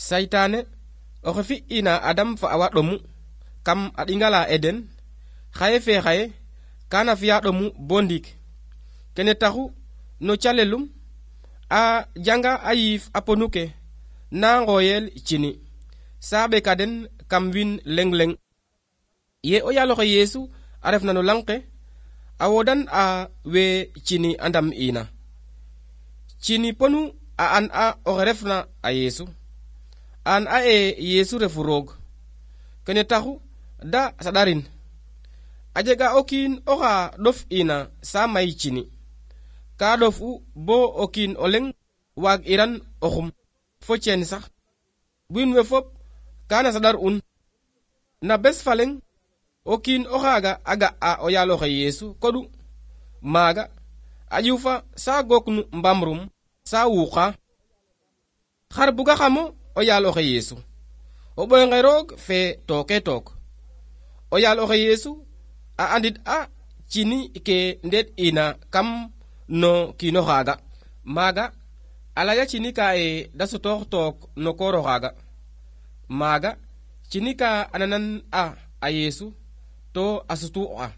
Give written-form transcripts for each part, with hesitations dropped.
saytaane oxe fi'ina Adam fa awa ɗomu kam a ɗingala Eden xaye kana fiya ɗomu bo ndiik kene taxu no calelum a janga a yiif a ponu ke na ngoyel cini sa ɓeka den kam win leng ye o yaaloxe Yesu a refna no lang ke a wodan a we cini a ndam ina cini ponu a an a oxe refna a Yesu an a Yesu refu roog kene taxu da saɗarin a jega o kiin oxa ɗof ina sa may cini ka ɗof u bo o kiin o leng waag iran o xum fo ceen sax wiin we fop kana saɗar un na bes fa leng o kiin oxaaga a ga a o yaaloxe Yesu koɗu maaga a ƴufa sa gooknu mbamrum sa wuuqa xar buga xamo o yaaloxe Yesu o ɓoynge roog fe tooke took o yaaloxe Yesu a andit a cini ke ndeet ina kam no kiino xaaga maaga a laya cini ka da sutoox took no kooro xaaga maaga cini ka ananan a Yesu to a sutu a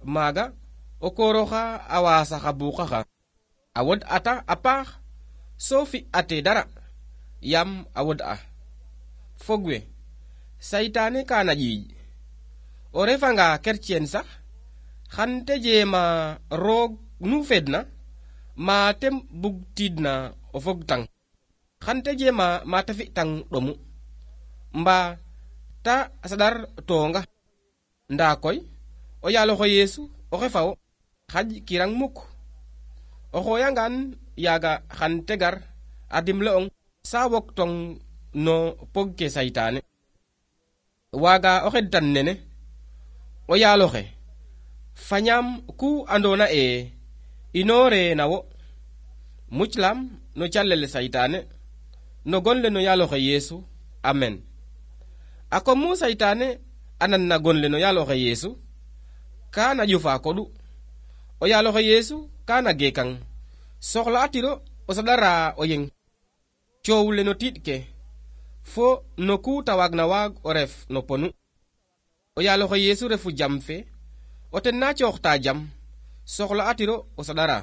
maaga o kooroxa a waasa xa buuqa xa a wod ata a paax so fi ate dara yam a wod a fog we saytaane kana ƴiiƴ o refanga kercien sax xan te jeema roog nu fedna ma te bug tiidna o fog tang xan te jeema ma te fi tang ɗomu mba ta saɗar toonga nda koy o yaaloxe Yesu oxe fawo xaƴ kirang mukk o xooyangan yaaga xan te gar a dimle'ong sa wok tong no pog ke saytaane waaga o xedtan nene o yaaloxe fañaam ku andona inoore na wo muclam no calele saytaane no gonle no yaaloxe Yesu amen a kom mu saytaane anan na gonle no yaaloxe Yesu kana ƴufa koɗu o yaaloxe Yesu kana geekang soxla atiro o saɗara o yeng coow le no tiiɗ ke fo no ku ta waagna waag o ref no ponu o yaaloxe Yesu refu jam fe o ten na cooxta jam soxla atiro o saɗara